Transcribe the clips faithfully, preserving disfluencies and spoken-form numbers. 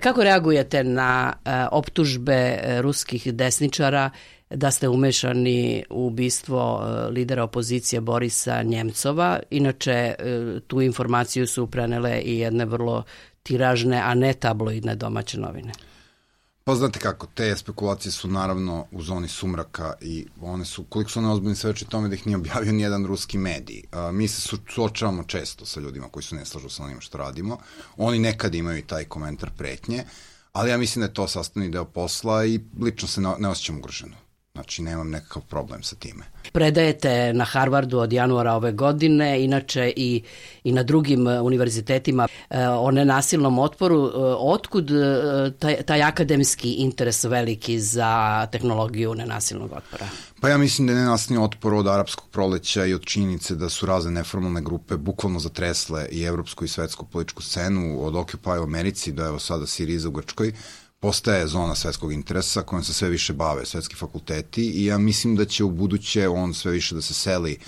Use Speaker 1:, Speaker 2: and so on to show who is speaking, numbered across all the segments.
Speaker 1: Kako reagujete na optužbe ruskih desničara da ste umešani u ubistvo lidera opozicije Borisa Njemcova? Inače, tu informaciju su prenele i jedne vrlo tiražne, a ne tabloidne domaće novine.
Speaker 2: Pa znate kako, te spekulacije su naravno u zoni sumraka i one su, koliko su one ozbiljne, svedoči tome da ih nije objavio nijedan ruski medij. A, mi se suočavamo često sa ljudima koji su ne slažu sa onim što radimo. Oni nekad imaju i taj komentar pretnje, ali ja mislim da je to sastavni deo posla i lično se ne, ne osjećam ugroženo. Znači, nemam nekakav problem sa time.
Speaker 1: Predajete na Harvardu od januara ove godine, inače i, i na drugim univerzitetima o nenasilnom otporu. Otkud taj, taj akademski interes veliki za tehnologiju nenasilnog otpora?
Speaker 2: Pa ja mislim da je nenasilni otpor od arapskog proleća i od činjenice da su razne neformalne grupe bukvalno zatresle i evropsku i svetsku političku scenu, od Occupy u Americi do evo sada Siriza u Grčkoj, postaje zona svetskog interesa kojom se sve više bave svetski fakulteti i ja mislim da će u buduće on sve više da se seli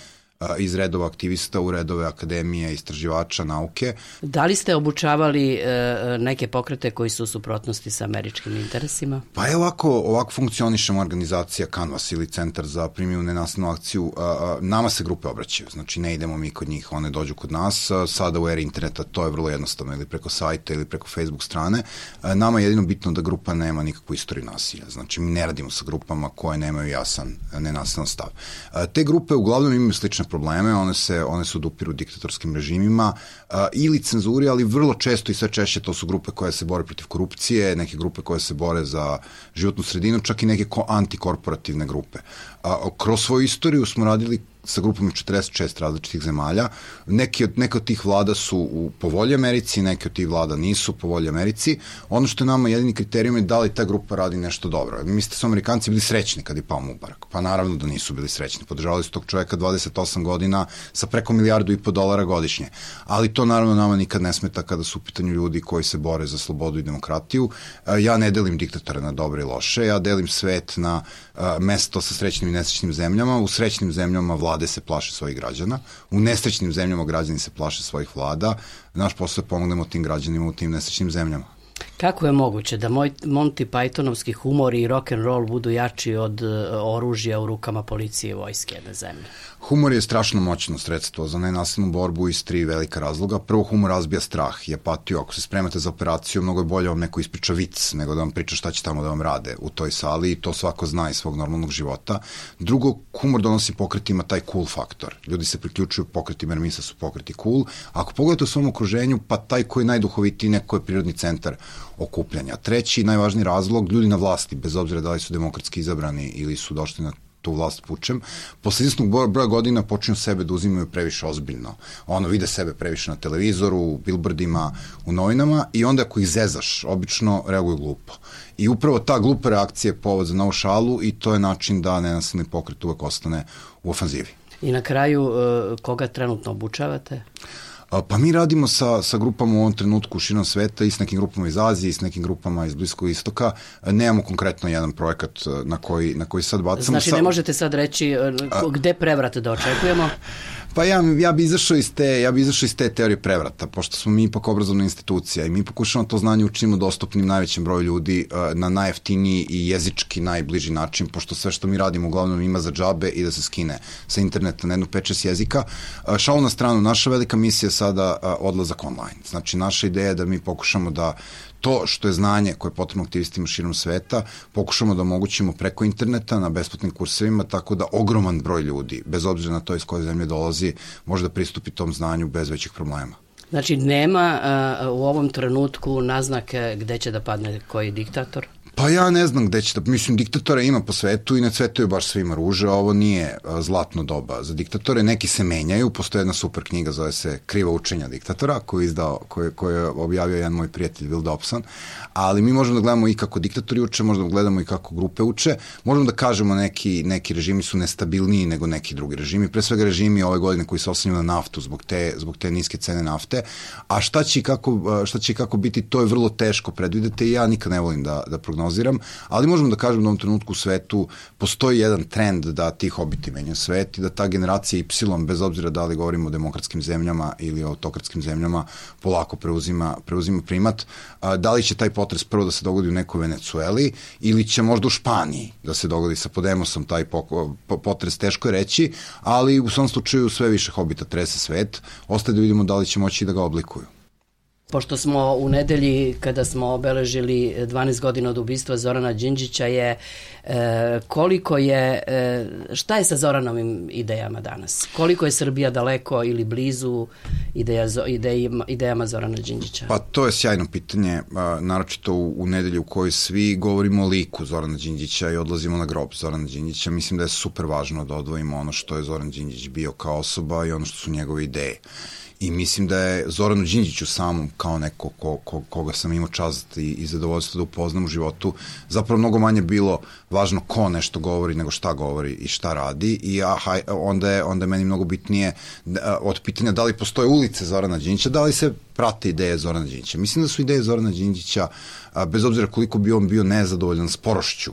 Speaker 2: iz redova aktivista u redove akademije, istraživača, nauke.
Speaker 1: Da li ste obučavali e, neke pokrete koji su u suprotnosti sa američkim interesima?
Speaker 2: Pa je ovako, ovako funkcionišemo organizacija Canvas ili Centar za primjenu nenasilnu akciju. A, a, nama se grupe obraćaju, znači ne idemo mi kod njih, one dođu kod nas. A, sada u eri interneta to je vrlo jednostavno, ili preko sajta ili preko Facebook strane. A, nama je jedino bitno da grupa nema nikakvu istoriju nasilja. Znači mi ne radimo sa grupama koje nemaju jasan nenasilan stav. A, te grupe uglavnom imaju slične probleme, one se, one se odupiru diktatorskim režimima a, ili cenzuri, ali vrlo često i sve češće to su grupe koje se bore protiv korupcije, neke grupe koje se bore za životnu sredinu, čak i neke antikorporativne grupe. A, kroz svoju istoriju smo radili sa grupom četrdeset šest različitih zemalja. Neki od, neke od tih vlada su u povolji Americi, neke od tih vlada nisu u povolji Americi. Ono što je nama jedini kriterijum je da li ta grupa radi nešto dobro. Mislite su Amerikanci bili srećni kad je pao Mubarak? Pa naravno da nisu bili srećni. Podržavali su tog čoveka dvadeset osam godina sa preko milijardu i po dolara godišnje. Ali to naravno nama nikad ne smeta kada su u pitanju ljudi koji se bore za slobodu i demokratiju. Ja ne delim diktatore na dobre i loše, ja delim svet na mesto sa srećnim i nesrećnim zemljama. U srećnim zemljama vlade se plaše svojih građana, u nesrećnim zemljama građani se plaše svojih vlada. Naš posao je pomognemo tim građanima u tim nesrećnim zemljama.
Speaker 1: Kako je moguće da moj Monty Pythonovski humor i rock and roll budu jači od uh, oružja u rukama policije i vojske jedne zemlje?
Speaker 2: Humor je strašno moćno sredstvo za nenasilnu borbu iz tri velika razloga. Prvo, humor razbija strah i apatiju. Ako se spremate za operaciju, mnogo je bolje vam neko ispriča vic nego da vam priča šta će tamo da vam rade u toj sali i to svako zna iz svog normalnog života. Drugo, humor donosi pokretima taj cool faktor. Ljudi se priključuju pokretima jer misle su pokreti cool. Ako pogledate u svom okruženju, pa taj koji je najduhovitiji, neko je prirodni centar okupljanja. Treći, najvažniji razlog, ljudi na vlasti, bez obzira da li su demokratski izabrani ili su došli na tu vlast pučem, posle izvesnog broja godina počinju sebe da uzimaju previše ozbiljno. Ono, vide sebe previše na televizoru, u billboardima, u novinama i onda ako ih zezaš, obično reaguju glupo. I upravo ta glupa reakcija je povod za novu šalu i to je način da nenasilni pokret uvek ostane u ofanzivi.
Speaker 1: I na kraju, koga trenutno obučavate?
Speaker 2: Pa mi radimo sa, sa grupama u ovom trenutku širom sveta i s nekim grupama iz Azije i s nekim grupama iz Bliskog istoka. Nemamo konkretno jedan projekat na koji, na koji sad bacamo.
Speaker 1: Znači ne možete sad reći gde prevrat da očekujemo?
Speaker 2: Pa ja, ja bi izašao iz te, ja bi izašao iz te teorije prevrata, pošto smo mi ipak obrazovna institucija i mi pokušamo to znanje učinimo dostupnim najvećem broju ljudi na najjeftiniji i jezički najbliži način, pošto sve što mi radimo uglavnom ima za džabe i da se skine sa interneta na jednu pet šest jezika. Šalu na stranu, naša velika misija je sada odlazak online. Znači, naša ideja je da mi pokušamo da to što je znanje koje je potrebno aktivistima širom sveta, pokušamo da omogućimo preko interneta na besplatnim kursevima, tako da ogroman broj ljudi, bez obzira na to iz koje zemlje dolazi, može da pristupi tom znanju bez većih problema.
Speaker 1: Znači, nema uh, u ovom trenutku naznake gde će da padne koji diktator?
Speaker 2: Pa ja ne znam gde će da, mislim, diktatora ima po svetu i ne cvetaju baš svima ruže, ovo nije a, zlatno doba za diktatore, neki se menjaju, postoje jedna super knjiga, zove se Kriva učenja diktatora, koju je izdao, koju, koju je objavio jedan moj prijatelj Will Dobson, ali mi možemo da gledamo i kako diktatori uče, možemo da gledamo i kako grupe uče, možemo da kažemo neki, neki režimi su nestabilniji nego neki drugi režimi, pre svega režimi ove godine koji se oslanjaju na naftu zbog te, zbog te niske cene nafte, a šta će i kako, šta će i kako biti, to je vrlo teško predvideti i ja nikad ne volim da, da prognoziram prognoziram, ali možemo da kažem da u ovom trenutku u svetu postoji jedan trend da ti hobiti menjaju svet i da ta generacija Y, bez obzira da li govorimo o demokratskim zemljama ili o autokratskim zemljama, polako preuzima, preuzima primat. Da li će taj potres prvo da se dogodi u nekoj Venecueli ili će možda u Španiji da se dogodi sa Podemosom taj potres, teško je reći, ali u svom slučaju sve više hobita trese svet. Ostaje da vidimo da li će moći da ga oblikuju.
Speaker 1: Pošto smo u nedelji, kada smo obeležili dvanaest godina od ubistva Zorana Đinđića, je e, koliko je, e, šta je sa Zoranovim idejama danas? Koliko je Srbija daleko ili blizu ideja, idejima, idejama Zorana Đinđića?
Speaker 2: Pa to je sjajno pitanje, a, naročito u, u nedelji u kojoj svi govorimo o liku Zorana Đinđića i odlazimo na grob Zorana Đinđića. Mislim da je super važno da odvojimo ono što je Zoran Đinđić bio kao osoba i ono što su njegove ideje. I mislim da je Zoranu Đinđiću samom, kao neko ko, ko, koga sam imao čast i, i zadovoljstvo da upoznam u životu, zapravo mnogo manje bilo važno ko nešto govori nego šta govori i šta radi. I aha, onda, je, onda je meni mnogo bitnije da, od pitanja da li postoje ulice Zorana Đinđića, da li se prate ideje Zorana Đinđića. Mislim da su ideje Zorana Đinđića, a, bez obzira koliko bi on bio nezadovoljan sporošću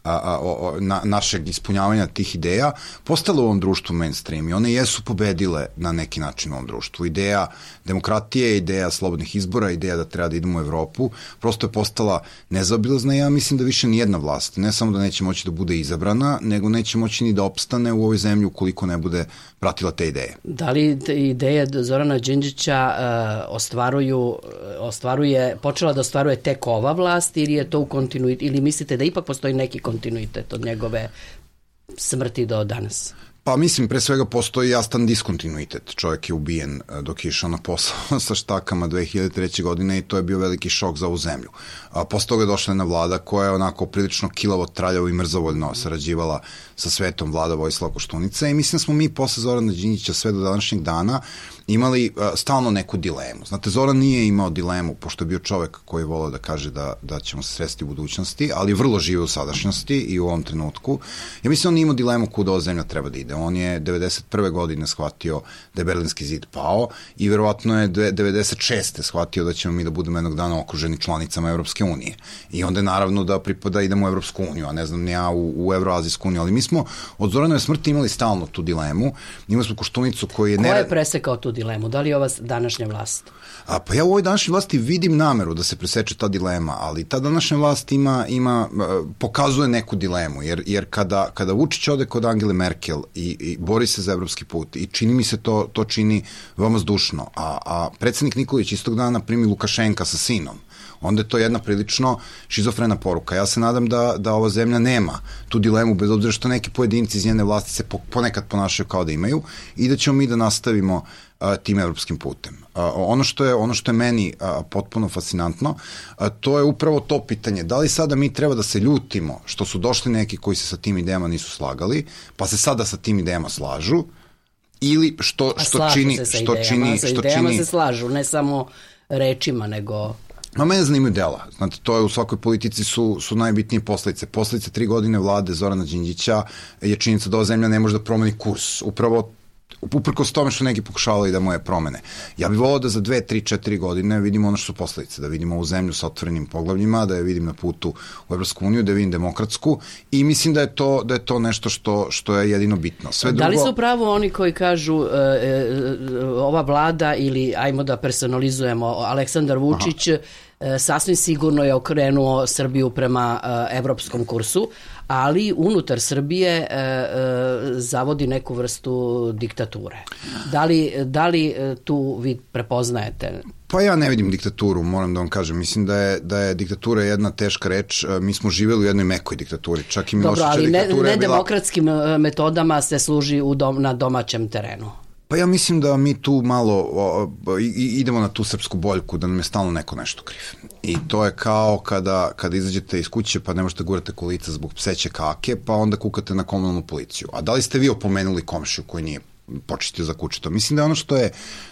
Speaker 2: A, a, o, na, našeg ispunjavanja tih ideja, postale u ovom društvu mainstream i one jesu pobedile na neki način u ovom društvu. Ideja demokratije, ideja slobodnih izbora, ideja da treba da idemo u Evropu, prosto je postala nezaobilazna i ja mislim da više nijedna vlast, ne samo da neće moći da bude izabrana, nego neće moći ni da opstane u ovoj zemlji ukoliko ne bude pratila te ideje.
Speaker 1: Da li ideje Zorana Đinđića uh, ostvaruju, ostvaruje, počela da ostvaruje tek ova vlast ili je to u kontinuitetu, ili mislite da ipak postoji neki kontinuitet od njegove smrti do danas?
Speaker 2: Pa mislim, pre svega postoji jastan diskontinuitet. Čovjek je ubijen dok je išao na posao sa štakama dve hiljade treće godine i to je bio veliki šok za ovu zemlju. A posle toga je došla jedna vlada koja je onako prilično kilavo, traljavo i mrzovoljno sarađivala sa svetom, vlada Vojislava Koštunice i mislim da smo mi posle Zorana Đinđića sve do današnjeg dana imali uh, stalno neku dilemu. Znate, Zoran nije imao dilemu, pošto je bio čovek koji je volao da kaže da, da ćemo se sresti u budućnosti, ali vrlo žive u sadašnjosti i u ovom trenutku. Ja mislim on nije imao dilemu kuda ova zemlja treba da ide. On je devedeset prve godine shvatio da je Berlinski zid pao i verovatno je devedeset šeste shvatio da ćemo mi da budemo jednog dana okruženi članicama Evropske unije. I onda je naravno da pripada idemo u Evropsku uniju, a ne znam ni ja u, u Evroazijsku uniju, ali mi smo od Zoranove smrti imali stalno tu dilemu. Imali smo Koštunicu koji je...
Speaker 1: Ko je presekao tu dilemu? Da li je ova današnja vlast?
Speaker 2: A, pa ja u ovoj današnjoj vlasti vidim nameru da se preseče ta dilema, ali ta današnja vlast ima, ima pokazuje neku dilemu, jer, jer kada, kada Vučić ode kod Angele Merkel i, i bori se za evropski put i čini mi se to, to čini veoma zdušno, a, a predsednik Nikolić istog dana primi Lukašenka sa sinom, onda je to jedna prilično šizofrena poruka. Ja se nadam da, da ova zemlja nema tu dilemu, bez obzira što neki pojedinci iz njene vlasti se po, ponekad ponašaju kao da imaju i da ćemo mi da nastavimo a, tim evropskim putem. A, ono, što je, ono što je meni a, potpuno fascinantno, a, to je upravo to pitanje. Da li sada mi treba da se ljutimo što su došli neki koji se sa tim idejama nisu slagali, pa se sada sa tim idejama slažu, ili što, što čini...
Speaker 1: Se sa
Speaker 2: što
Speaker 1: idejama,
Speaker 2: čini,
Speaker 1: sa
Speaker 2: što
Speaker 1: idejama
Speaker 2: čini,
Speaker 1: se slažu, ne samo rečima, nego...
Speaker 2: Ma mene zanimaju dela. Znate, to je u svakoj politici su, su najbitnije posledice. Posledice tri godine vlade Zorana Đinđića je činjenica da ova zemlja ne može da promeni kurs. Upravo uprkos tome što neki pokušavali da moje promene. Ja bih volao da za dve, tri, četiri godine vidimo ono što su posledice, da vidimo ovu zemlju sa otvorenim poglavljima, da je vidim na putu u Evropsku uniju, da je vidim demokratsku i mislim da je to, da je to nešto što, što je jedino bitno. Sve drugo...
Speaker 1: Da li su pravo oni koji kažu e, e, ova vlada ili, ajmo da personalizujemo, Aleksandar Vučić e, sasvim sigurno je okrenuo Srbiju prema e, evropskom kursu, ali unutar Srbije e, e, zavodi neku vrstu diktature. Da li, da li tu vi prepoznajete?
Speaker 2: Pa ja ne vidim diktaturu, moram da vam kažem. Mislim da je, da je diktatura jedna teška reč. Mi smo živjeli u jednoj mekoj diktaturi. Čak i Miloševića diktatura je bila...
Speaker 1: Dobro, ali ne demokratskim metodama se služi u dom, na domaćem terenu.
Speaker 2: Pa ja mislim da mi tu malo o, o, i, idemo na tu srpsku boljku, da nam je stalno neko nešto kriv. I to je kao kada, kada izađete iz kuće pa ne možete gurati kolica zbog pseće kake, pa onda kukate na komunalnu policiju. A da li ste vi opomenuli komšiju koji nije počistio za kućeto? Mislim da je ono što je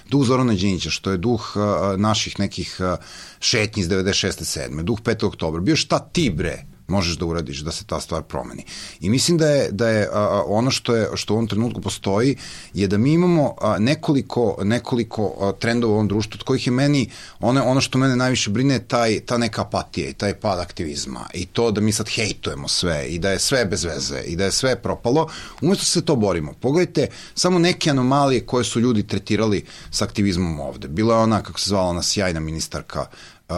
Speaker 2: duh Zorana Đinđića, što je duh a, naših nekih a, šetnji iz devedeset šeste sedme, duh petog oktobra, bio šta ti bre možeš da uradiš da se ta stvar promeni. I mislim da je, da je a, ono što je što u ovom trenutku postoji je da mi imamo a, nekoliko, nekoliko a, trendova u ovom društvu od kojih je meni, ono, ono što mene najviše brine je taj, ta neka apatija i taj pad aktivizma i to da mi sad hejtujemo sve i da je sve bez veze i da je sve propalo, umesto se to borimo. Pogledajte samo neke anomalije koje su ljudi tretirali sa aktivizmom ovde. Bila je ona, kako se zvala, ona sjajna ministarka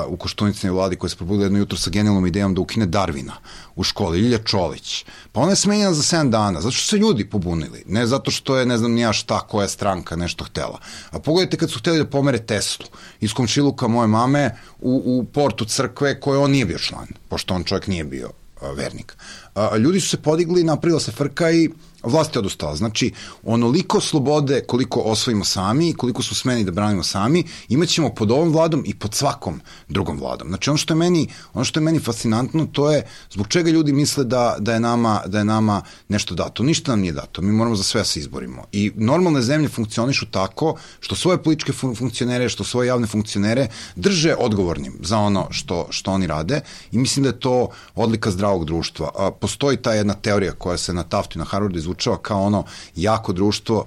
Speaker 2: u Koštunicinoj vladi koja se probudila jedno jutro sa genijalnom idejom da ukine Darvina u školi, Ljilja Čolić. Pa ona je smenjena za sedam dana, zato što se ljudi pobunili, ne zato što je, ne znam, nija šta, koja stranka nešto htela. A pogledajte kad su hteli da pomere Teslu iz komšiluka moje mame u, u portu crkve koje on nije bio član, pošto on čovjek nije bio a, vernik. A, ljudi su se podigli, napravila se frka i vlast je odustala. Znači, onoliko slobode koliko osvojimo sami i koliko su smeni da branimo sami, imat ćemo pod ovom vladom i pod svakom drugom vladom. Znači, ono što je meni, ono što je meni fascinantno, to je zbog čega ljudi misle da, da, je nama, da je nama nešto dato. Ništa nam nije dato. Mi moramo za sve se izborimo. I normalne zemlje funkcionišu tako što svoje političke fun funkcionere, što svoje javne funkcionere drže odgovornim za ono što, što oni rade i mislim da je to odlika zdravog društva. A, postoji ta jedna teorija koja se na Taftu i na Harvardu izvučava kao ono jako društvo,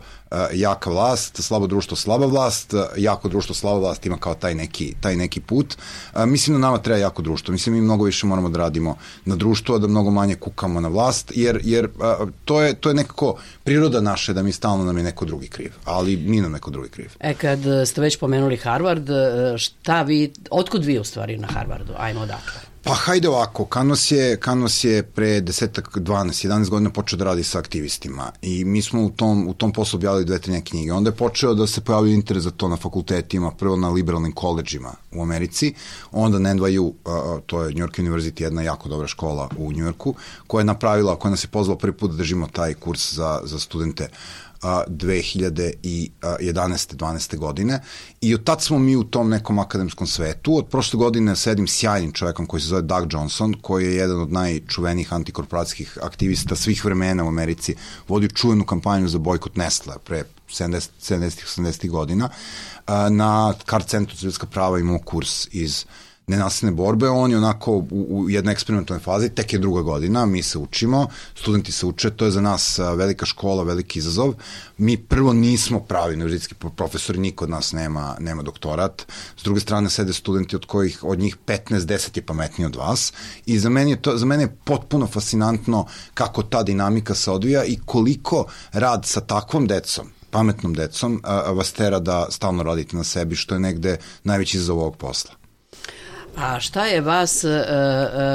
Speaker 2: jaka vlast, slabo društvo, slaba vlast, jako društvo, slaba vlast ima kao taj neki, taj neki put. Mislim da nama treba jako društvo. Mislim mi mnogo više moramo da radimo na društvu, a da mnogo manje kukamo na vlast, jer, jer to, je, to je nekako priroda naše da mi stalno nam je neko drugi kriv, ali nije nam neko drugi kriv.
Speaker 1: E, kad ste već pomenuli Harvard, šta vi, otkud vi u stvari na Harvardu? Ajmo odakle.
Speaker 2: Pa hajde ovako, Kanos je, Kanos je pre desetak, dvanaest, jedanaest godina počeo da radi sa aktivistima i mi smo u tom, u tom poslu objavili dve, tri neke knjige. Onda je počeo da se pojavio interes za to na fakultetima, prvo na liberalnim koleđima u Americi, onda na N Y U, uh, to je New York University, jedna jako dobra škola u New Yorku, koja je napravila, koja nas je pozvala prvi put da držimo taj kurs za, za studente dve hiljade jedanaeste dvanaeste godine i od tad smo mi u tom nekom akademskom svetu. Od prošle godine sedim sjajnim čovekom koji se zove Doug Johnson, koji je jedan od najčuvenijih antikorporacijskih aktivista svih vremena u Americi, vodi čuvenu kampanju za bojkot Nestle pre sedamdesetih osamdesetih godina. Na Card Centru za ljudska prava imamo kurs iz nenasilne borbe, on je onako u, u jednoj eksperimentalnoj fazi, tek je druga godina, mi se učimo, studenti se uče, to je za nas velika škola, veliki izazov. Mi prvo nismo pravi univerzitetski profesori, niko od nas nema, nema doktorat, s druge strane sede studenti od kojih, od njih petnaest deset je pametniji od vas i za mene je, to, za mene je potpuno fascinantno kako ta dinamika se odvija i koliko rad sa takvom decom, pametnom decom, a, vas tera da stalno radite na sebi, što je negde najveći izazov ovog posla.
Speaker 1: A šta je vas e, e,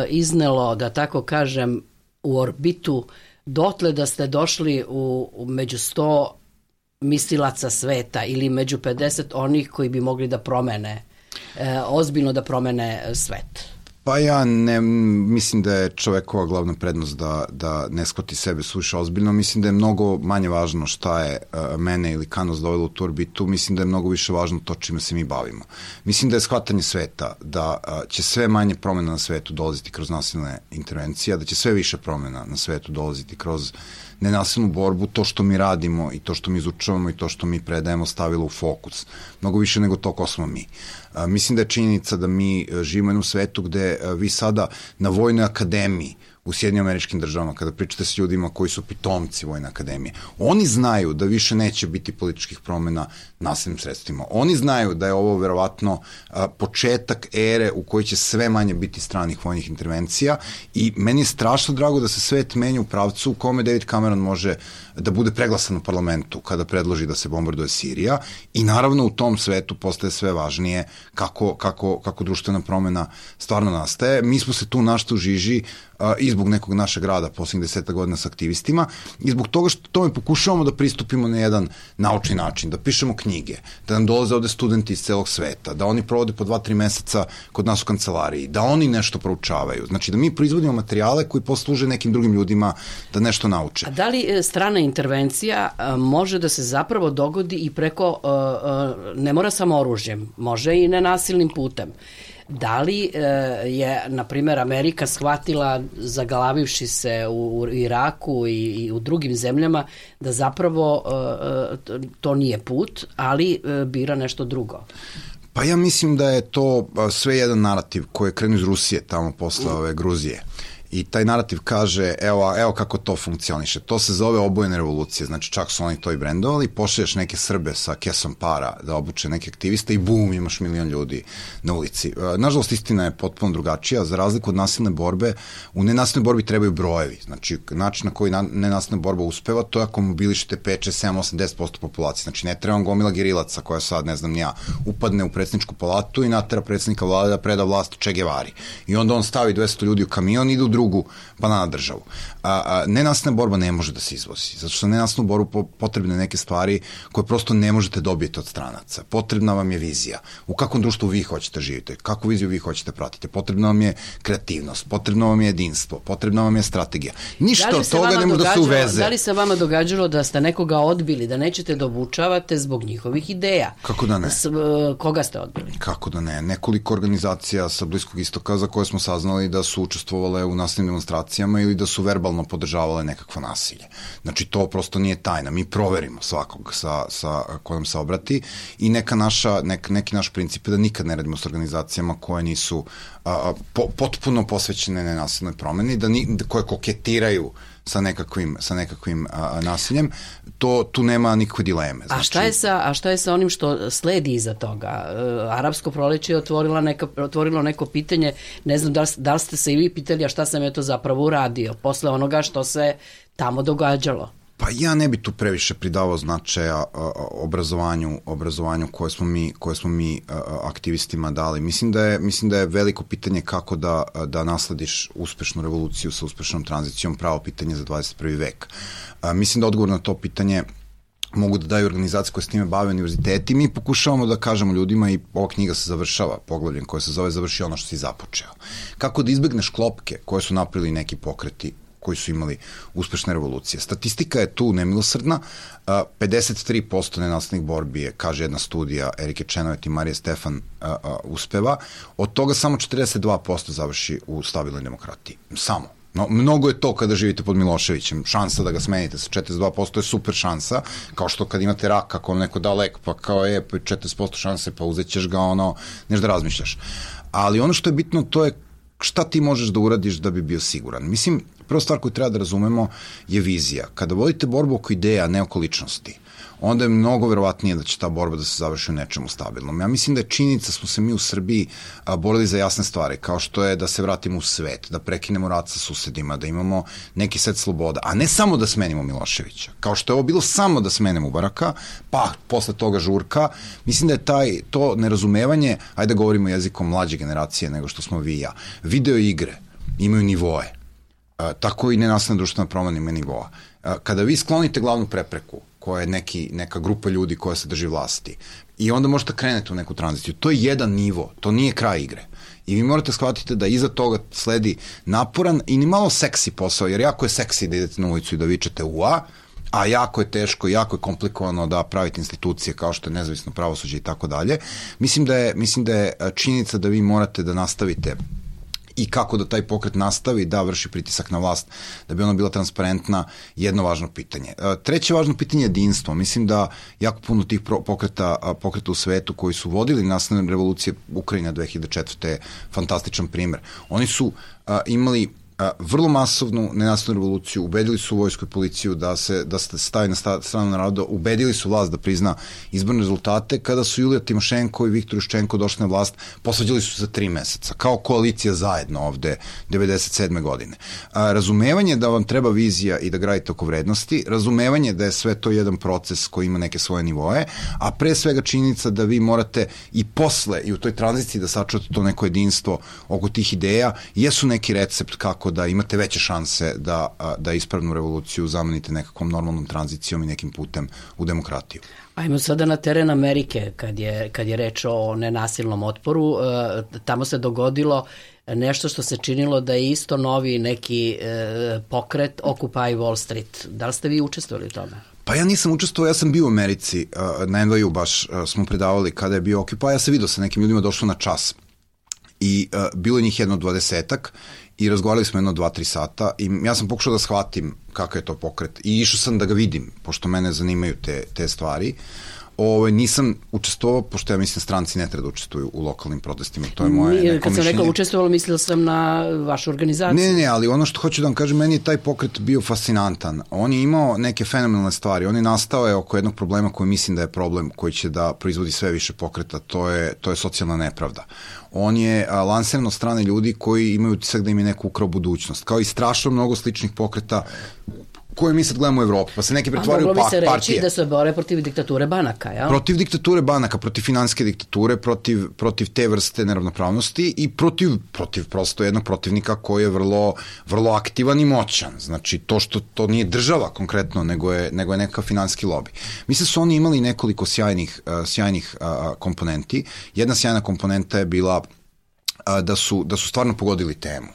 Speaker 1: iznelo, da tako kažem, u orbitu dotle da ste došli u, u među sto mislilaca sveta ili među pedeset onih koji bi mogli da promene, e, ozbiljno da promene svet?
Speaker 2: Pa ja ne, mislim da je čovekova glavna prednost da, da ne shvati sebe suviše ozbiljno. Mislim da je mnogo manje važno šta je uh, mene ili Kanos dovelo u tu orbitu. Mislim da je mnogo više važno to čime se mi bavimo. Mislim da je shvatanje sveta, da uh, će sve manje promjena na svetu dolaziti kroz nasilne intervencije, da će sve više promjena na svetu dolaziti kroz nenasilnu borbu, to što mi radimo i to što mi izučavamo i to što mi predajemo stavilo u fokus. Mnogo više nego to ko smo mi. A, mislim da je činjenica da mi živimo u jednom svetu gde a, vi sada na Vojnoj akademiji u Sjedinjenim Američkim Državama, kada pričate s ljudima koji su pitomci Vojne akademije, oni znaju da više neće biti političkih promjena nasilnim sredstvima. Oni znaju da je ovo verovatno a, početak ere u kojoj će sve manje biti stranih vojnih intervencija i meni je strašno drago da se svet menja u pravcu u kome David Cameron može da bude preglasan u parlamentu kada predloži da se bombarduje Sirija i naravno u tom svetu postaje sve važnije kako, kako, kako društvena promjena stvarno nastaje. Mi smo se tu našli u žiži a, i zbog nekog našeg rada posljednjih deseta godina s aktivistima i zbog toga što tome pokušavamo da pristupimo na jedan naučni način, da pišemo knjige, da nam dolaze ovde studenti iz celog sveta, da oni provode po dva, tri meseca kod nas u kancelariji, da oni nešto proučavaju. Znači da mi proizvodimo materijale koji posluže nekim drugim ljudima da nešto nauče.
Speaker 1: A da li strana intervencija a, može da se zapravo dogodi i preko, a, a, ne mora samo oružjem, može i nenasilnim putem? Da li e, je, na primjer, Amerika shvatila, zagalavivši se u, u Iraku i, i u drugim zemljama, da zapravo e, to nije put, ali e, bira nešto drugo?
Speaker 2: Pa ja mislim da je to sve jedan narativ koji je krenuo iz Rusije, tamo posle ove Gruzije. I taj narativ kaže, evo, evo kako to funkcioniše. To se zove obojene revolucije, znači čak su oni to i brendovali, pošalješ neke Srbe sa kesom para da obuče neke aktiviste i bum, imaš milion ljudi na ulici. Nažalost, istina je potpuno drugačija. Za razliku od nasilne borbe, u nenasilnoj borbi trebaju brojevi. Znači, način na koji nenasilna borba uspeva, to je ako mobilišete pet, šest, sedam, osam, deset posto populacije. Znači, ne treba vam gomila gerilaca koja sad, ne znam, nija, upadne u predsjedničku palatu i natera predsjednika vlade da preda vlast Che Guevari. I onda on stavi dvesta ljudi u kamion i ide u drugu banana državu. A, a, nenasilna borba ne može da se izvozi, zato što nenasilnu borbu po, potrebne neke stvari koje prosto ne možete dobiti od stranaca. Potrebna vam je vizija. U kakvom društvu vi hoćete živite, kakvu viziju vi hoćete pratite. Potrebna vam je kreativnost, potrebno vam je jedinstvo, potrebna vam je strategija. Ništa od toga ne može da se uveze.
Speaker 1: Da li se vama događalo da ste nekoga odbili, da nećete da obučavate zbog njihovih ideja?
Speaker 2: Kako da ne?
Speaker 1: S, koga ste odbili?
Speaker 2: Kako da ne? Nekoliko organizacija sa Bliskog istoka za koje smo saznali da su učestvovale u nasilnim demonstracijama ili da su verbalno podržavale nekakvo nasilje. Znači, to prosto nije tajna. Mi proverimo svakog sa, sa, ko nam se obrati i neka naša, nek, neki naš princip je da nikad ne radimo s organizacijama koje nisu a, po, potpuno posvećene nenasilnoj promeni, da, ni, da koje koketiraju sa nekakvim, sa nekakvim a, nasiljem, to tu nema nikakve dileme. Znači,
Speaker 1: a, šta je sa, a šta je sa onim što sledi iza toga? E, Arapsko proleće je otvorila neka, otvorilo neko pitanje, ne znam da li, da li ste se i vi pitali, a šta sam je to zapravo uradio posle onoga što se tamo događalo?
Speaker 2: Pa ja ne bi tu previše pridavao značaja a, a, obrazovanju, obrazovanju koje smo mi, koje smo mi a, a, aktivistima dali. Mislim da je, mislim da je veliko pitanje kako da, da naslediš uspešnu revoluciju sa uspešnom tranzicijom pravo pitanje za dvadeset prvi vek. A, mislim da odgovor na to pitanje mogu da daju organizacije koje s time bave univerziteti. Mi pokušavamo da kažemo ljudima i ova knjiga se završava poglavljem koje se zove Završi ono što si započeo. Kako da izbegneš klopke koje su napravili neki pokreti koji su imali uspešne revolucije. Statistika je tu nemilosrdna. pedeset tri posto nenasilnih borbi je, kaže jedna studija Erike Čenovet i Marije Stefan, uspeva. Od toga samo četrdeset dva posto završi u stabilnoj demokratiji. Samo. No, mnogo je to kada živite pod Miloševićem. Šansa da ga smenite sa četrdeset dva posto je super šansa, kao što kad imate rak, ako vam neko da lek, pa kao je četrdeset posto šanse, pa uzet ćeš ga, ono, nešto da razmišljaš. Ali ono što je bitno, to je šta ti možeš da uradiš da bi bio siguran. Mislim, prva stvar koju treba da razumemo je vizija. Kada vodite borbu oko ideja, ne oko ličnosti, onda je mnogo verovatnije da će ta borba da se završi u nečemu stabilnom. Ja mislim da je činjenica smo se mi u Srbiji a, borili za jasne stvari, kao što je da se vratimo u svet, da prekinemo rat sa susedima, da imamo neki set sloboda, a ne samo da smenimo Miloševića. Kao što je ovo bilo samo da smenemo Mubaraka, pa posle toga žurka. Mislim da je taj, to nerazumevanje, ajde da govorimo jezikom mlađe generacije nego što smo vi i ja. Video igre imaju nivoe. A, tako i nenasilna društvena promena ima nivoa. A, kada vi sklonite glavnu prepreku, koja je neki, neka grupa ljudi koja se drži vlasti, i onda možete krenete u neku tranziciju. To je jedan nivo, to nije kraj igre. I vi morate shvatiti da iza toga sledi naporan i ni malo seksi posao, jer jako je seksi da idete na ulicu i da vičete ua, a jako je teško, jako je komplikovano da pravite institucije kao što je nezavisno pravosuđe i tako dalje. Mislim da je, mislim da je činjenica da vi morate da nastavite i kako da taj pokret nastavi da vrši pritisak na vlast, da bi ona bila transparentna, jedno važno pitanje. Treće važno pitanje je jedinstvo. Mislim da jako puno tih pokreta, pokreta u svetu koji su vodili nasilne revolucije, Ukrajina dve hiljade četvrte je fantastičan primer. Oni su a, imali vrlo masovnu nenasilnu revoluciju, ubedili su vojsku i policiju da se da se stavi na stranu naroda, ubedili su vlast da prizna izborne rezultate. Kada su Julija Timošenko i Viktor Juščenko došli na vlast, posvađali su se za tri meseca, kao koalicija zajedno ovde devedeset sedme godine. A, razumevanje da vam treba vizija i da gradite oko vrednosti, razumevanje da je sve to jedan proces koji ima neke svoje nivoe, a pre svega činjenica da vi morate i posle i u toj tranziciji da sačuvate to neko jedinstvo oko tih ideja, jesu neki recept kako da imate veće šanse da, da ispravnu revoluciju zamenite nekakvom normalnom tranzicijom i nekim putem u demokratiju.
Speaker 1: Ajmo sada na teren Amerike, kad je, kad je reč o nenasilnom otporu. E, tamo se dogodilo nešto što se činilo da je isto novi neki e, pokret Occupy Wall Street. Da li ste vi učestvovali u tome?
Speaker 2: Pa ja nisam učestvovao, ja sam bio u Americi, na en ve u baš smo predavali kada je bio Occupy, ja sam vidio sa nekim ljudima, došlo na čas. I uh, bilo je njih jedno dvadesetak i razgovarali smo jedno dva, tri sata i ja sam pokušao da shvatim kakav je to pokret i išao sam da ga vidim, pošto mene zanimaju te, te stvari. Ovo, nisam učestvovao, pošto ja mislim stranci ne treba da učestvuju u lokalnim protestima, to je moje neko mišljenje.
Speaker 1: Kad sam rekla učestvovalo, mislila sam na vašu organizaciju.
Speaker 2: Ne, ne, ali ono što hoću da vam kažem, meni je taj pokret bio fascinantan. On je imao neke fenomenalne stvari, on je nastao je oko jednog problema koji mislim da je problem koji će da proizvodi sve više pokreta, to je, to je socijalna nepravda. On je a, lansiran od strane ljudi koji imaju utisak da im je neko ukrao budućnost, kao i strašno mnogo sličnih pokreta koje mi sad gledamo u Evropi, pa se neki pretvaraju u partije.
Speaker 1: Moglo bi se reći da se bore protiv diktature banaka, jel?
Speaker 2: Protiv diktature banaka, protiv finansijske diktature, protiv, protiv te vrste neravnopravnosti i protiv, protiv prosto jednog protivnika koji je vrlo, vrlo aktivan i moćan. Znači, to što to nije država konkretno, nego je, nego je neka finansijski lobi. Mislim su oni imali nekoliko sjajnih, uh, sjajnih uh, komponenti. Jedna sjajna komponenta je bila da su, da su stvarno pogodili temu.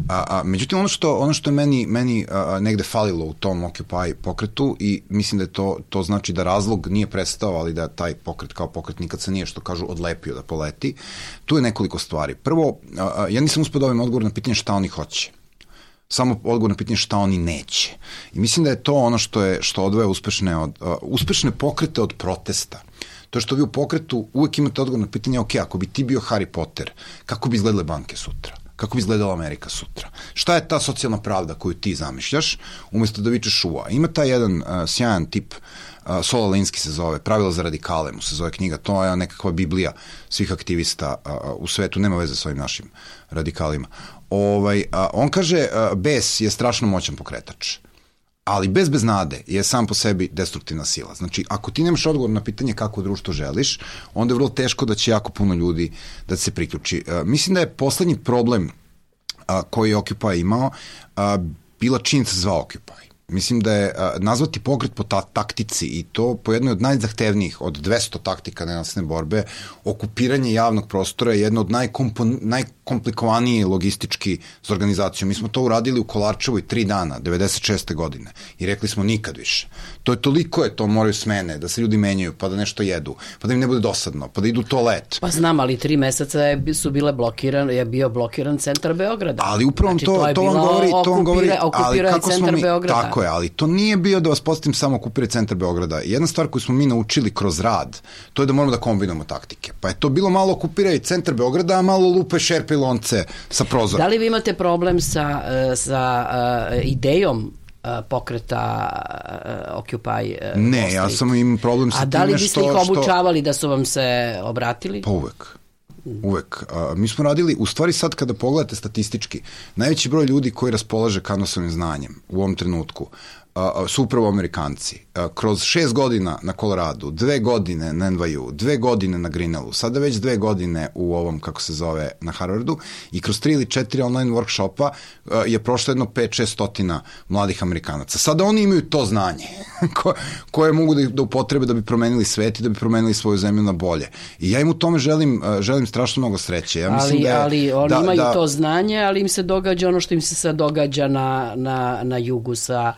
Speaker 2: A, a, međutim, ono što, ono što je meni, meni a, negde falilo u tom Occupy pokretu i mislim da je to, to znači da razlog nije prestao, ali da taj pokret kao pokret nikad se nije, što kažu, odlepio da poleti. Tu je nekoliko stvari. Prvo, a, a, ja nisam uspio da ovim odgovor na pitanje šta oni hoće. Samo odgovor na pitanje šta oni neće. I mislim da je to ono što je što odvaja uspešne, od, a, uspešne pokrete od protesta. To što vi u pokretu uvek imate odgovor na pitanje, ok, ako bi ti bio Harry Potter, kako bi izgledale banke sutra? Kako bi izgledala Amerika sutra? Šta je ta socijalna pravda koju ti zamišljaš, umjesto da vičeš ua? Ima taj jedan uh, sjajan tip, uh, Saul Alinsky se zove, Pravila za radikale mu se zove knjiga, to je nekakva biblija svih aktivista uh, u svetu, nema veze s ovim našim radikalima. Ovaj, uh, on kaže, uh, bes je strašno moćan pokretač. Ali bez bez nade je sam po sebi destruktivna sila. Znači, ako ti nemaš odgovor na pitanje kako društvo želiš, onda je vrlo teško da će jako puno ljudi da se priključi. Uh, mislim da je poslednji problem uh, koji je Occupy imao uh, bila činjenica zvao Occupy. Mislim da je uh, nazvati pokret po ta taktici i to po jednoj od najzahtevnijih od dvesta taktika nenasilne borbe, okupiranje javnog prostora je jedno od najkompon, najkomplikovanije logistički za organizaciju. Mi smo to uradili u Kolarčevoj tri dana, devedeset šeste godine i rekli smo nikad više. To je toliko je to, moraju smene, da se ljudi menjaju, pa da nešto jedu, pa da im ne bude dosadno, pa da idu u toalet.
Speaker 1: Pa znam, ali tri meseca je, su bile blokiran, je bio blokiran centar Beograda.
Speaker 2: Ali upravo znači, to, to, to vam govori, to vam govori, ali kako smo mi, Beograda. Tako je, ali to nije bio da vas postavim samo okupirati centar Beograda. Jedna stvar koju smo mi naučili kroz rad, to je da moramo da kombinujemo taktike. Pa je to bilo malo okupiraj centar Beograda, a malo lupe šerpe i lonce sa prozora.
Speaker 1: Da li vi imate problem sa, sa uh, idejom pokreta uh, Occupy uh,
Speaker 2: Ne, ja sam im problem sa time što...
Speaker 1: A da li biste ih obučavali što... da su vam se obratili?
Speaker 2: Pa uvek. Uvek. Uh, mi smo radili, u stvari sad kada pogledate statistički, najveći broj ljudi koji raspolaže kanvasovim znanjem u ovom trenutku uh, su upravo Amerikanci. Uh, kroz šest godina na Coloradu, dve godine na N Y U, dve godine na Greenellu, sada već dve godine u ovom, kako se zove, na Harvardu i kroz tri ili četiri online workshopa uh, je prošlo jedno pet šest stotina mladih Amerikanaca. Sada oni imaju to znanje ko, koje mogu da, da upotrebe da bi promenili svet i da bi promenili svoju zemlju na bolje. I ja im u tome želim, uh, želim strašno mnogo sreće. Ja mislim
Speaker 1: ali,
Speaker 2: da je,
Speaker 1: ali oni
Speaker 2: da,
Speaker 1: imaju
Speaker 2: da,
Speaker 1: to znanje, ali im se događa ono što im se sad događa na, na, na jugu sa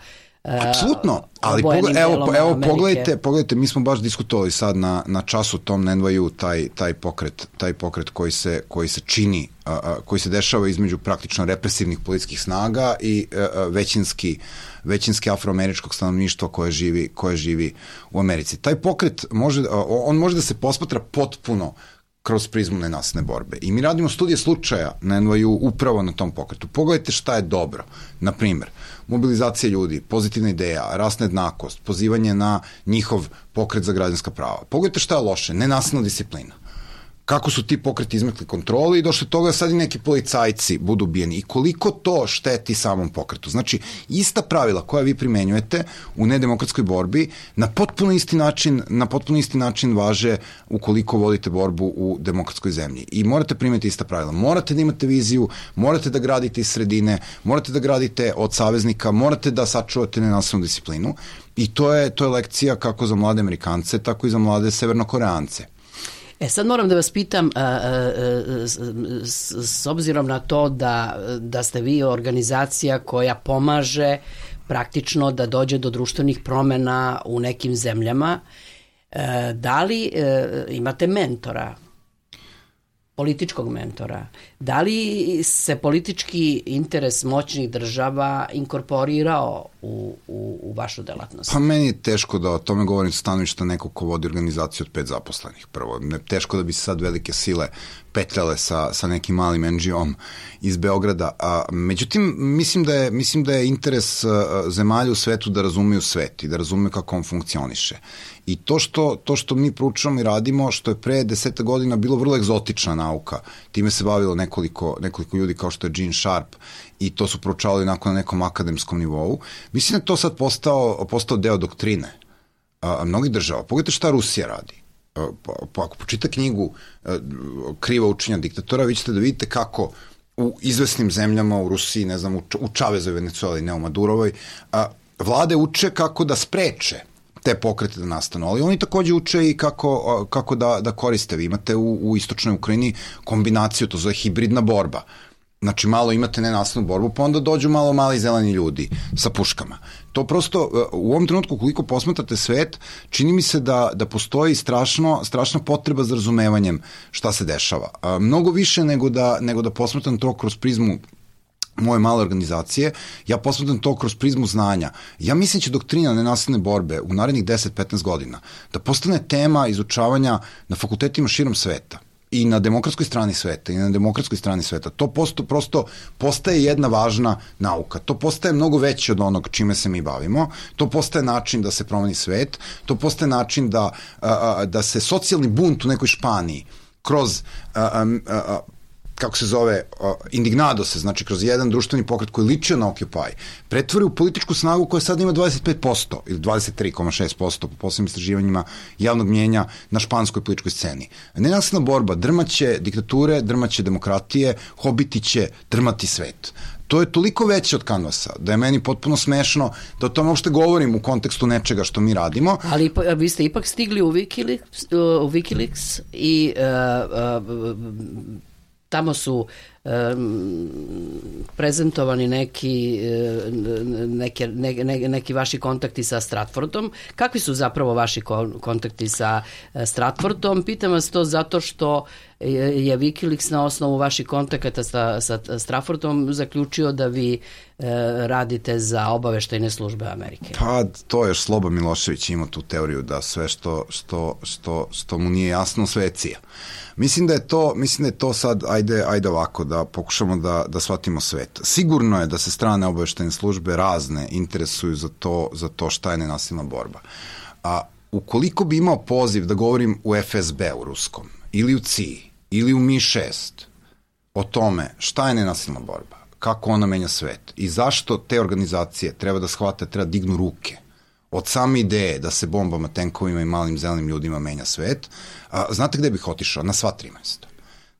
Speaker 2: apsolutno, ali pogled, evo, evo pogledajte, pogledajte, mi smo baš diskutovali sad na, na času tom na N Y U taj, taj pokret, taj pokret koji se, koji se čini, a, a, koji se dešava između praktično represivnih policijskih snaga i a, a, većinski, većinski afroameričkog stanovništva koje živi, koje živi u Americi. Taj pokret može, a, on može da se posmatra potpuno kroz prizmu nenasilne borbe. I mi radimo studije slučaja na N Y U upravo na tom pokretu. Pogledajte šta je dobro. Na primjer, mobilizacija ljudi, pozitivna ideja, rasna jednakost, pozivanje na njihov pokret za građanska prava. Pogledajte šta je loše, nenasilna disciplina. Kako su ti pokreti izmekli kontroli i došli toga sad i neki policajci budu ubijeni i koliko to šteti samom pokretu. Znači, ista pravila koja vi primenjujete u nedemokratskoj borbi na potpuno isti način, na potpuno isti način važe ukoliko vodite borbu u demokratskoj zemlji. I morate primeti ista pravila. Morate da imate viziju, morate da gradite iz sredine, morate da gradite od saveznika, morate da sačuvate nenasilnu disciplinu i to je, to je lekcija kako za mlade Amerikance, tako i za mlade Severnokoreance.
Speaker 1: E sad moram da vas pitam, a, a, a, s, s obzirom na to da, da ste vi organizacija koja pomaže praktično da dođe do društvenih promena u nekim zemljama, a, da li a, imate mentora, političkog mentora? Da li se politički interes moćnih država inkorporirao u, u, u vašu delatnost?
Speaker 2: Pa meni je teško da o tome govorim sa stanovišta nekog ko vodi organizaciju od pet zaposlenih. Prvo, ne, teško da bi se sad velike sile petljale sa, sa nekim malim en dži om iz Beograda. A, međutim, mislim da, je, mislim da je interes a, zemalja u svetu da razumeju svet i da razumeju kako on funkcioniše. I to što, to što mi proučavamo i radimo, što je pre deseta godina bilo vrlo egzotična nauka, time se bavilo nekoliko, nekoliko ljudi kao što je Gene Sharp i to su proučavali onako na nekom akademskom nivou, mislim da je to sad postao, postao deo doktrine a, a mnogih država. Pogledajte šta Rusija radi. A, pa, pa ako počita knjigu a, Kriva učenja diktatora, vi ćete da vidite kako u izvesnim zemljama, u Rusiji, ne znam, u, u Čavezoj Venecueli, ne u Madurovoj, a, vlade uče kako da spreče te pokrete da nastanu, ali oni takođe uče i kako, kako da, da koriste. Vi imate u, u istočnoj Ukrajini kombinaciju, to zove hibridna borba. Znači, malo imate nenasilnu borbu, pa onda dođu malo mali zeleni ljudi sa puškama. To prosto, u ovom trenutku, koliko posmatrate svet, čini mi se da, da postoji strašno, strašna potreba za razumevanjem šta se dešava. A, mnogo više nego da, nego da posmatram to kroz prizmu moje male organizacije, ja posmatram to kroz prizmu znanja. Ja mislim će doktrina nenasilne borbe u narednih deset do petnaest godina da postane tema izučavanja na fakultetima širom sveta i na demokratskoj strani sveta i na demokratskoj strani sveta. To posto, prosto postaje jedna važna nauka. To postaje mnogo veće od onog čime se mi bavimo. To postaje način da se promeni svet. To postaje način da, a, a, da se socijalni bunt u nekoj Španiji kroz a, a, a, kako se zove, uh, indignado se, znači kroz jedan društveni pokret koji ličio na Occupy, pretvori u političku snagu koja sad ima dvadeset pet posto ili dvadeset tri zarez šest posto po poslednjim istraživanjima javnog mnjenja na španskoj političkoj sceni. Nenasilna borba drmaće diktature, drmaće demokratije, hobiti će drmati svet. To je toliko veće od kanvasa, da je meni potpuno smešno da o tome uopšte govorim u kontekstu nečega što mi radimo.
Speaker 1: Ali vi ste ipak stigli u Wikileaks, u Wikileaks i uh, uh, tamo su um, prezentovani neki, neke, ne, ne, neki vaši kontakti sa Stratfordom. Kakvi su zapravo vaši kontakti sa Stratfordom? Pitam vas to zato što je Wikileaks na osnovu vaših kontakata sa, sa Stratfordom zaključio da vi e, radite za obaveštajne službe Amerike.
Speaker 2: Pa to je Sloba Milošević ima tu teoriju da sve što, što, što, što mu nije jasno sve je cija. Mislim da je to, mislim da je to sad, ajde, ajde ovako, da pokušamo da, da shvatimo svet. Sigurno je da se strane obaveštajne službe razne interesuju za to, za to šta je nenasilna borba. A ukoliko bi imao poziv da govorim u F S B u ruskom, ili u C I A ili u Mi šest o tome šta je nenasilna borba, kako ona menja svet i zašto te organizacije treba da shvate, treba dignu ruke od same ideje da se bombama, tenkovima i malim zelenim ljudima menja svet, a, znate gde bih otišao? Na sva tri mesta.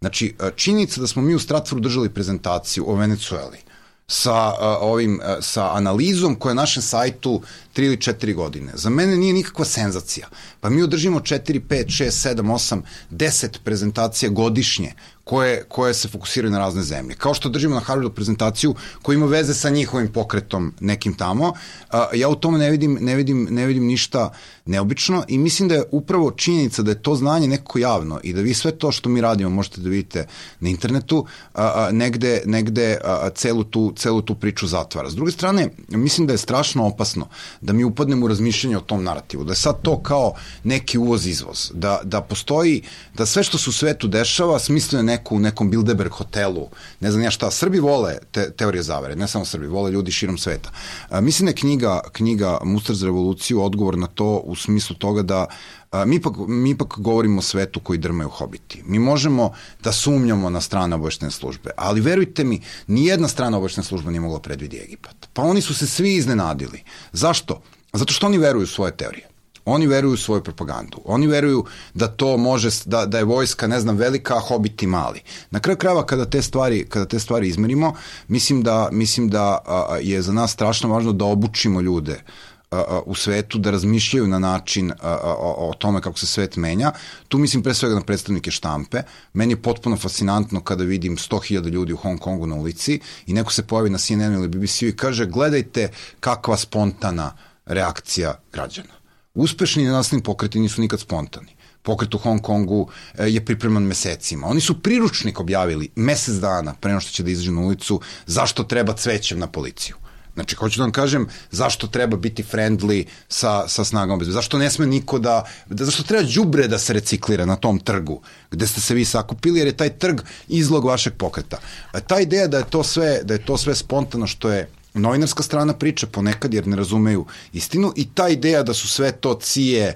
Speaker 2: Znači, činjenica da smo mi u Stratfordu držali prezentaciju o Venecueli sa a, ovim a, sa analizom koja je na našem sajtu tri ili četiri godine. Za mene nije nikakva senzacija. Pa mi održimo četiri, pet, šest, sedam, osam, deset prezentacija godišnje koje, koje se fokusiraju na razne zemlje. Kao što držimo na Harvardu prezentaciju koja ima veze sa njihovim pokretom nekim tamo, a, ja u tome ne vidim, ne vidim, ne vidim ništa neobično i mislim da je upravo činjenica da je to znanje nekako javno i da vi sve to što mi radimo možete da vidite na internetu, a, a, negde, negde a, celu, tu, celu tu priču zatvara. S druge strane, mislim da je strašno opasno da mi upadnemo u razmišljanje o tom narativu, da je sad to kao neki uvoz-izvoz, da, da postoji, da sve što se u svetu dešava smislio je neko u nekom Bilderberg hotelu, ne znam ja šta, Srbi vole te, teorije zavere, ne samo Srbi, vole ljudi širom sveta. A, mislim da je knjiga, knjiga Mustar za revoluciju odgovor na to u smislu toga da a, mi, ipak, mi ipak govorimo o svetu koji drmaju hobiti. Mi možemo da sumnjamo na strane obaveštene službe, ali verujte mi, nijedna strana obaveštena služba nije mogla predvidi Egipat. Pa oni su se svi iznenadili. Zašto? Zato što oni veruju u svoje teorije. Oni veruju u svoju propagandu. Oni veruju da to može, da, da je vojska, ne znam, velika, a hobiti mali. Na kraju krajeva kada te stvari, kada te stvari izmerimo, mislim da, mislim da a, je za nas strašno važno da obučimo ljude a, a, u svetu, da razmišljaju na način a, a, o, o tome kako se svet menja. Tu mislim pre svega na predstavnike štampe. Meni je potpuno fascinantno kada vidim sto hiljada ljudi u Hong Kongu na ulici i neko se pojavi na C N N ili B B C-u i kaže gledajte kakva spontana reakcija građana. Uspešni nenasilni pokreti nisu nikad spontani. pokret u Hong Kongu je pripreman mesecima. Oni su priručnik objavili mesec dana pre nego što će da izađu na ulicu zašto treba cvećem na policiju. Znači, hoću da vam kažem zašto treba biti friendly sa, sa snagama bezbednosti. Zašto ne sme niko da, da... Zašto treba đubre da se reciklira na tom trgu gde ste se vi sakupili, jer je taj trg izlog vašeg pokreta. Ta ideja da je to sve, da je to sve spontano što je novinarska strana priča ponekad jer ne razumeju istinu i ta ideja da su sve to C I E,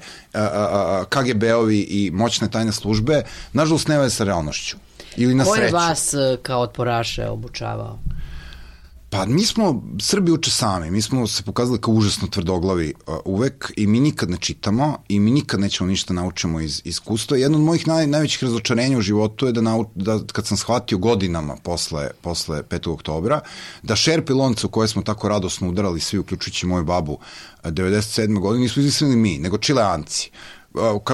Speaker 2: K G B-ovi i moćne tajne službe, nažalost ne veze sa realnošću. Ili na sreću.
Speaker 1: Ko je vas kao otporaše obučavao?
Speaker 2: Pa mi smo, Srbi uče sami, mi smo se pokazali kao užasno tvrdoglavi uh, uvek i mi nikad ne čitamo i mi nikad nećemo ništa naučimo iz iskustva. Jedno od mojih naj, najvećih razočarenja u životu je da, nau, da kad sam shvatio godinama posle, posle petog oktobra, da šerpe lonce u koje smo tako radosno udarali svi, uključujući moju babu, devedeset sedme godine, nismo izmislili mi, nego Čileanci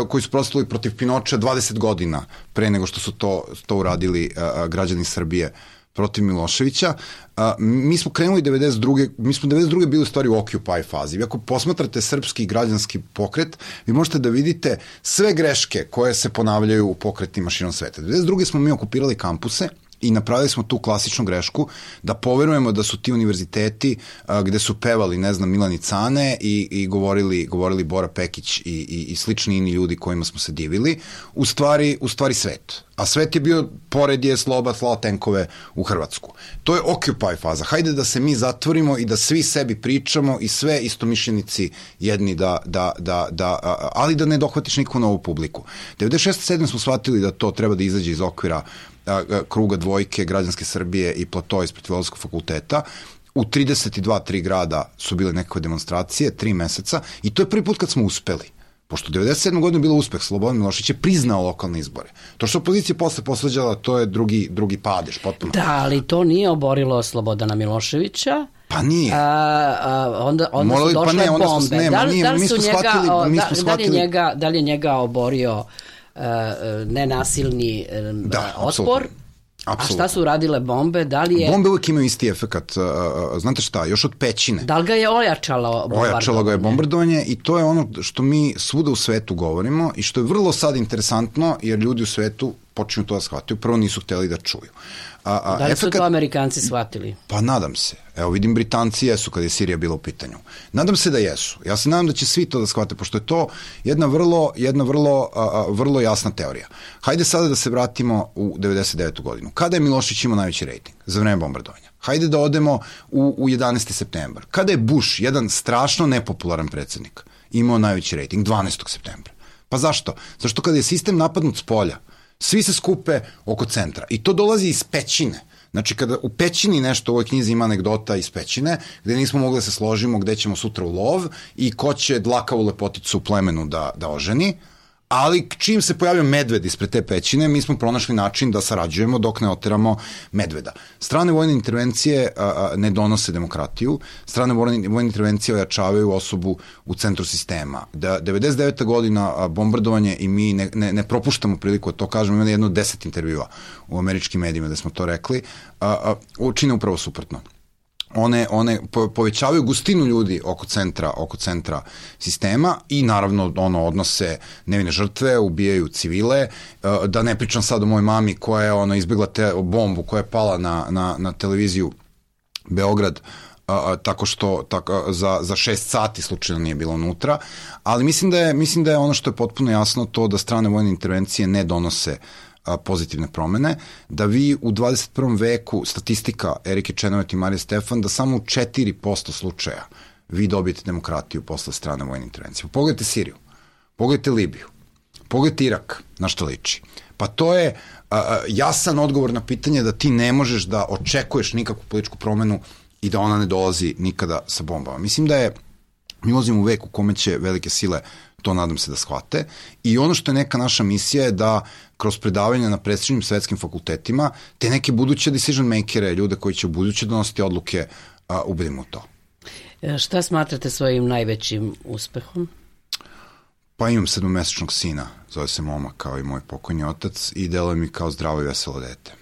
Speaker 2: koji su prostavili protiv Pinoča dvadeset godina pre nego što su to, to uradili uh, građani Srbije protiv Miloševića. A, mi smo krenuli devedeset druge mi smo devedeset druge bili u stvari u Occupy fazi. Vi ako posmatrate srpski građanski pokret, vi možete da vidite sve greške koje se ponavljaju u pokretima širom sveta. devedeset druge smo mi okupirali kampuse i napravili smo tu klasičnu grešku da poverujemo da su ti univerziteti a, gde su pevali, ne znam, Milani Cane i, i govorili, govorili Bora Pekić i, i, i slični ini ljudi kojima smo se divili, u stvari, u stvari svet. A svet je bio, pored je Sloba slao tenkove u Hrvatsku. To je Occupy faza. Hajde da se mi zatvorimo i da svi sebi pričamo i sve istomišljenici jedni da, da, da, da ali da ne dohvatiš nikakvu novu publiku. devedeset šeste sedme smo shvatili da to treba da izađe iz okvira kruga dvojke Građanske Srbije i Plato ispred Filozofskog fakulteta. U trideset dva tri grada su bile nekakve demonstracije, tri meseca i to je prvi put kad smo uspeli. Pošto devedeset sedme godine bilo uspeh, Slobodan Milošević je priznao lokalne izbore. To što opozicija posle posvađala, to je drugi, drugi padež, potpuno.
Speaker 1: Da, ali to nije oborilo Slobodana Miloševića.
Speaker 2: Pa nije.
Speaker 1: A, a, onda onda
Speaker 2: Morali,
Speaker 1: su došle
Speaker 2: pa ne, onda
Speaker 1: bombe.
Speaker 2: Su, ne,
Speaker 1: da,
Speaker 2: nije,
Speaker 1: da, li
Speaker 2: mi
Speaker 1: su
Speaker 2: smo
Speaker 1: njega,
Speaker 2: shvatili, mi
Speaker 1: da,
Speaker 2: smo shvatili...
Speaker 1: da, li njega, da li je njega oborio uh, nenasilni uh,
Speaker 2: da,
Speaker 1: otpor?
Speaker 2: Apsolutno.
Speaker 1: Apsolutno. A šta su radile bombe? Da li je...
Speaker 2: Bombe uvijek imaju isti efekat. Uh, uh, znate šta, još od pećine.
Speaker 1: Da li ga je ojačalo bombardovanje?
Speaker 2: Ojačalo ga je bombardovanje i to je ono što mi svuda u svetu govorimo i što je vrlo sad interesantno jer ljudi u svetu počinju to da shvataju. Prvo nisu hteli da čuju. A, a,
Speaker 1: da li
Speaker 2: efekat...
Speaker 1: su to Amerikanci shvatili?
Speaker 2: Pa nadam se. Evo vidim Britanci jesu kad je Sirija bila u pitanju. Nadam se da jesu. Ja se nadam da će svi to da shvate, pošto je to jedna vrlo, jedna vrlo, a, a, vrlo jasna teorija. Hajde sada da se vratimo u devedeset devetu godinu. Kada je Milošević imao najveći rejting? Za vreme bombardovanja. Hajde da odemo u, u jedanaesti septembar. Kada je Bush, jedan strašno nepopularan predsjednik, imao najveći rejting? dvanaestog septembra. Pa zašto? Zašto kada je sistem napadnut s polja, svi se skupe oko centra. I to dolazi iz pećine. Znači, kada u pećini nešto, u ovoj knjizi ima anegdota iz pećine, gde nismo mogli da se složimo gde ćemo sutra u lov i ko će dlakavu lepoticu u plemenu da, da oženi, ali čim se pojavio medved ispred te pećine, mi smo pronašli način da sarađujemo dok ne oteramo medveda. Strane vojne intervencije a, a, ne donose demokratiju, strane vojne, vojne intervencije ojačavaju osobu u centru sistema. Da, devedeset deveta godina a, bombardovanje i mi ne, ne, ne propuštamo priliku da to kažemo, imamo jedno deset intervjua u američkim medijima da smo to rekli, a, a, učine upravo suprotno. One, one povećavaju gustinu ljudi oko centra, oko centra sistema i naravno ono odnose nevine žrtve, ubijaju civile, da ne pričam sad o mojoj mami koja je ono izbjegla te bombu koja je pala na, na, na televiziju Beograd a, tako što tako, za, za šest sati slučajno nije bilo unutra, ali mislim da je, mislim da je ono što je potpuno jasno to da strane vojne intervencije ne donose pozitivne promene, da vi u dvadeset prvom veku, statistika Erike Čenovet i Marije Stefan, da samo u četiri posto slučaja vi dobijete demokratiju posle strane vojne intervencije. Pogledajte Siriju, pogledajte Libiju, pogledajte Irak, na što liči. Pa to je a, a, jasan odgovor na pitanje da ti ne možeš da očekuješ nikakvu političku promenu i da ona ne dolazi nikada sa bombama. Mislim da je, mi ulazimo u vek u kome će velike sile to nadam se da shvate i ono što je neka naša misija je da kroz predavanja na prestižnim svetskim fakultetima te neke buduće decision makere, ljude koji će u buduće donositi odluke, a, ubedimo u to.
Speaker 1: Šta smatrate svojim najvećim uspehom?
Speaker 2: Pa imam sedmomesečnog sina, zove se Moma kao i moj pokojni otac i deluje mi kao zdravo i veselo dete.